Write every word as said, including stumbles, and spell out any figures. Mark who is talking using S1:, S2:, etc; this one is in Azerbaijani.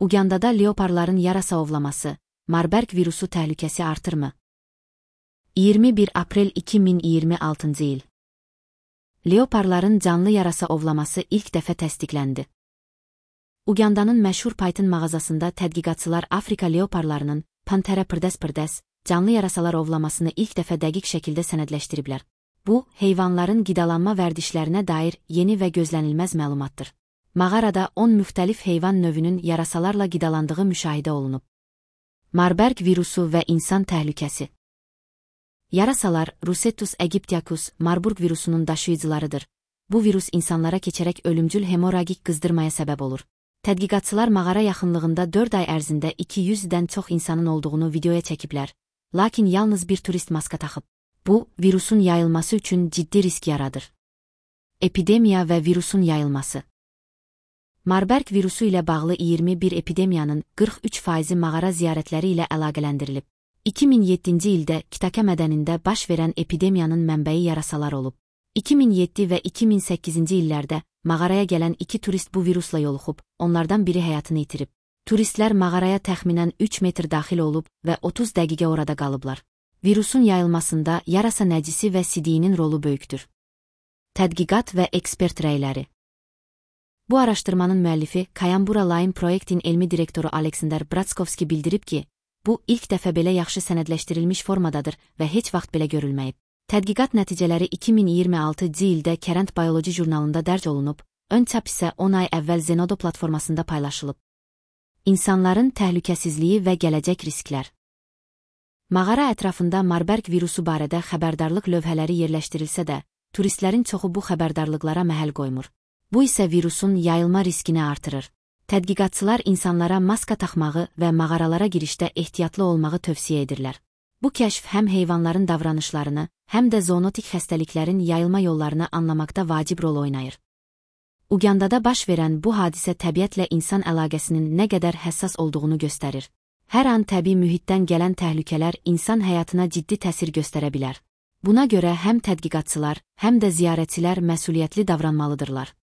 S1: Ugandada leoparların yarasa ovlaması, Marburg virusu təhlükəsi artırmı? iyirmi bir aprel iki min iyirmi altıncı il. Leoparların canlı yarasa ovlaması ilk dəfə təsdiqləndi. Ugandanın məşhur Python mağazasında tədqiqatçılar Afrika leoparlarının Panthera pırdes canlı yarasalar ovlamasını ilk dəfə dəqiq şəkildə sənədləşdiriblər. Bu, heyvanların qidalanma vərdişlərinə dair yeni və gözlənilməz məlumatdır. Mağarada on müxtəlif heyvan növünün yarasalarla qidalandığı müşahidə olunub. Marburg virusu və insan təhlükəsi. Yarasalar Rossettus aegyptiacus Marburg virusunun daşıyıcılarıdır. Bu virus insanlara keçərək ölümcül hemorragik qızdırmaya səbəb olur. Tədqiqatçılar mağara yaxınlığında dörd ay ərzində iki yüzdən çox insanın olduğunu videoya çəkiblər, lakin yalnız bir turist maska taxıb. Bu, virusun yayılması üçün ciddi risk yaradır. Epidemiya və virusun yayılması. Marburg virusu ilə bağlı iyirmi bir epidemiyanın qırx üç faizi mağara ziyarətləri ilə əlaqələndirilib. iki min yeddinci ildə Kitaka mədənində baş verən epidemiyanın mənbəyi yarasalar olub. iki min yeddi və iki min səkkizinci illərdə mağaraya gələn iki turist bu virusla yoluxub, onlardan biri həyatını itirib. Turistlər mağaraya təxminən üç metr daxil olub və otuz dəqiqə orada qalıblar. Virusun yayılmasında yarasa nəcisi və sidiyinin rolu böyükdür. Tədqiqat və ekspert rəyləri. Bu araşdırmanın müəllifi Kayambura Line Projektin elmi direktoru Aleksandr Bratskovski bildirib ki, bu ilk dəfə belə yaxşı sənədləşdirilmiş formadadır və heç vaxt belə görülməyib. Tədqiqat nəticələri iki min iyirmi altıncı ildə Current Biology jurnalında dərc olunub, ön çap isə on ay əvvəl Zenodo platformasında paylaşılıb. İnsanların təhlükəsizliyi və gələcək risklər. Mağara ətrafında Marburg virusu barədə xəbərdarlıq lövhələri yerləşdirilsə də, turistlərin çoxu bu xəbərdarlıqlara məhəl qoymur. Bu isə virusun yayılma riskini artırır. Tədqiqatçılar insanlara maska taxmağı və mağaralara girişdə ehtiyatlı olmağı tövsiyə edirlər. Bu kəşf həm heyvanların davranışlarını, həm də zoonotik xəstəliklərin yayılma yollarını anlamaqda vacib rol oynayır. Ugandada baş verən bu hadisə təbiətlə insan əlaqəsinin nə qədər həssas olduğunu göstərir. Hər an təbii mühitdən gələn təhlükələr insan həyatına ciddi təsir göstərə bilər. Buna görə həm tədqiqatçılar, həm də ziyarətçilər məsuliyyətli davranmalıdırlar.